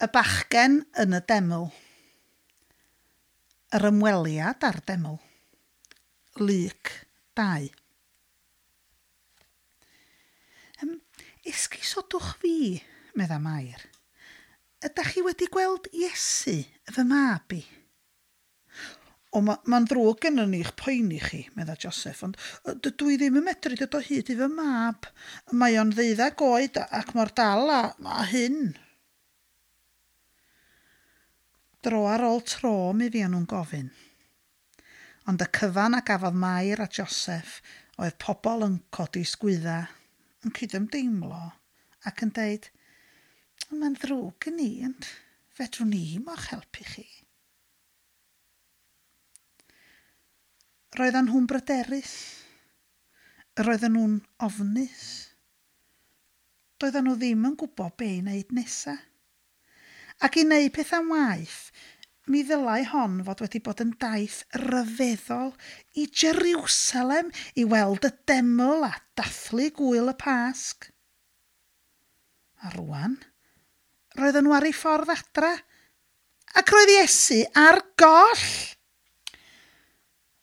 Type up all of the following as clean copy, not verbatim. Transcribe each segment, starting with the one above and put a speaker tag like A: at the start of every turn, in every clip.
A: Y bachgen yn y deml. Yr ymweliad â'r deml. Luc 2. Um, esgusodwch fi, medda Mair. Ydach chi wedi gweld Iesu, fy mab i? O, mae'n ma ddrwg gennym ni eich poeni chi, medda Joseph, ond dydw i ddim yn medru dod o hyd i fy mab. Mae o'n ddeuddag oed ac mor dal a, a hyn. Dro ar ôl tro mi fuon nhw'n gofyn. Ond y cyfan a gafodd Mair a Joseph oedd pobl yn codi sgwydda, yn cydymdeimlo ac yn deud, mae'n ddrwg gen i, ond fedrwn ni mo'ch helpu chi. Roedden nhw'n bryderus. Roedden nhw'n ofnus. Doedden nhw ddim yn gwybod be i wneud nesa. Ac i wneud pethau'n waeth, mi ddylai hon fod wedi bod yn daith ryfeddol i Jerusalem i weld y deml a dathlu gwyl y Pasg. A rwan, roedden nhw ar ei ffordd adra, ac roedd Iesu ar goll.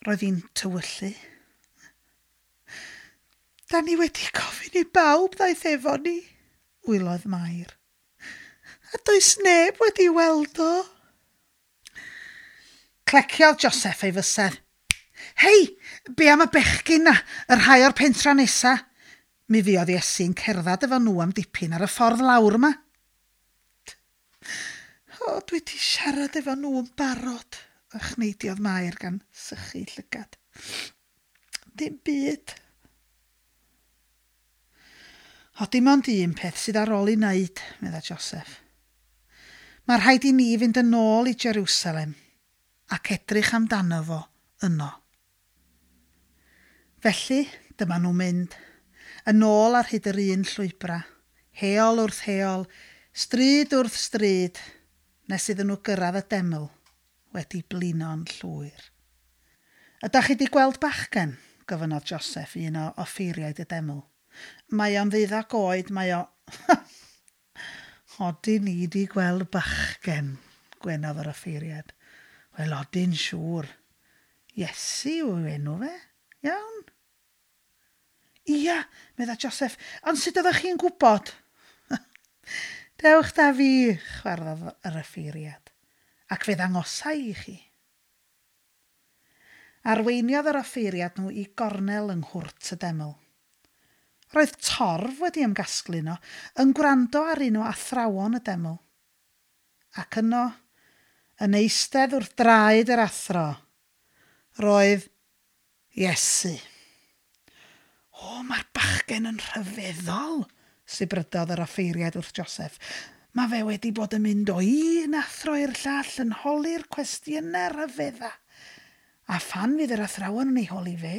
A: Roedd hi'n tywyllu. Da ni wedi gofyn i bawb ddaeth efo ni, wylodd Mair. A does neb wedi weld o. Cleciodd Joseph ei fysedd. Hei, be am y bechgyn na, y rhai o'r pentra nesa? Mi fuodd Iesu'n cerdded efo nhw am dipyn ar y ffordd lawr yma. O, dwi wedi siarad efo nhw yn barod, ochneidiodd Mair gan sychu llygad. Dim byd. O, dim ond un peth sydd ar ôl i wneud, medda Joseph. Mae rhaid i ni fynd yn ôl i Jerusalem ac edrych amdano fo yno. Felly, dyma nhw'n mynd, yn ôl ar hyd yr un llwybra, heol wrth heol, stryd wrth stryd, nes iddyn nhw gyrraedd y deml wedi blino'n llwyr. Ydach chi wedi gweld bachgen? Gofynnodd Joseph un o offeiriaid y deml. Mae o'n ddeuddag oed, mae o... Odyn ni di gweld bachgen, gwenodd yr offeiriad. Wel, odyn siŵr. Iesu yw enw fe. Iawn. Ia, medda Joseph, ond sut oeddech chi'n gwybod? Dewch da fi, chwarddodd yr offeiriad, ac fe ddangosai i chi. Arweiniodd yr offeiriad nhw i gornel yng nghwrt y deml. Roedd torf wedi ymgasglu yno, yn gwrando ar un o athrawon y deml. Ac yno, yn eistedd wrth draed yr athro, roedd Iesu. O, mae'r bachgen yn rhyfeddol, sibrydodd yr offeiriad wrth Joseph. Mae fe wedi bod yn mynd o un athro i'r llall yn holi'r cwestiynau rhyfedda. A phan fydd yr athrawon yn ei holi fe,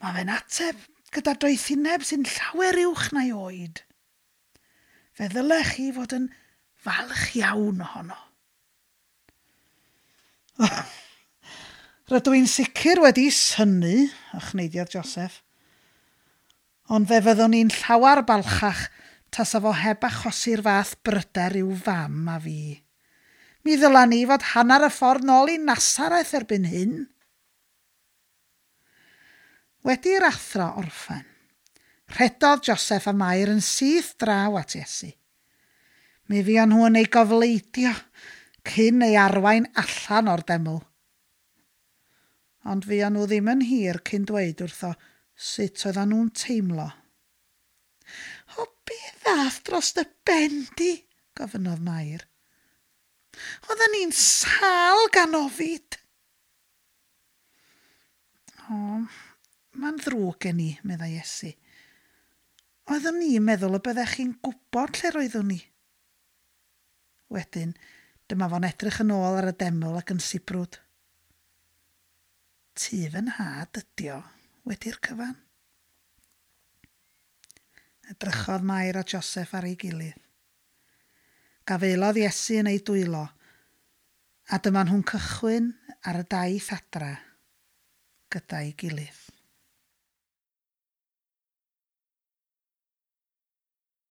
A: mae fe'n ateb gyda doethineb sy'n llawer uwch na'i oed. Fe ddylech chi fod yn falch iawn ohono. Rydw i'n sicr wedi synnu, ochneidiodd Joseph. Ond fe fyddwn i'n llawer balchach tasa fo heb achosi'r fath bryder i'w fam a fi. Mi ddyla ni fod hanner y ffordd nôl i Nasareth erbyn hyn. Wedi'r athro orffen, rhedodd Joseph a Mair yn syth draw at Iesu. Mi fuon nhw yn ei gofleidio cyn ei arwain allan o'r deml. Ond fuon nhw ddim yn hir cyn dweud wrtho sut oedden nhw'n teimlo. O, be ddath dros dy ben di? Gofynnodd Mair. Oedden ni'n sâl gan ofid. O, mae'n ddrwg gen i, meddai Iesu. Oeddwn ni'n meddwl y byddech chi'n gwybod lle roeddwn ni. Wedyn, dyma fo'n edrych yn ôl ar y deml ac yn sibrwd. Tŷ fy nhad ydi o, wedi'r cyfan. Edrychodd Mair a Joseph ar ei gilydd. Gafaelodd Iesu yn ei dwylo, a dyma nhw'n cychwyn ar y daith adra gyda'i gilydd.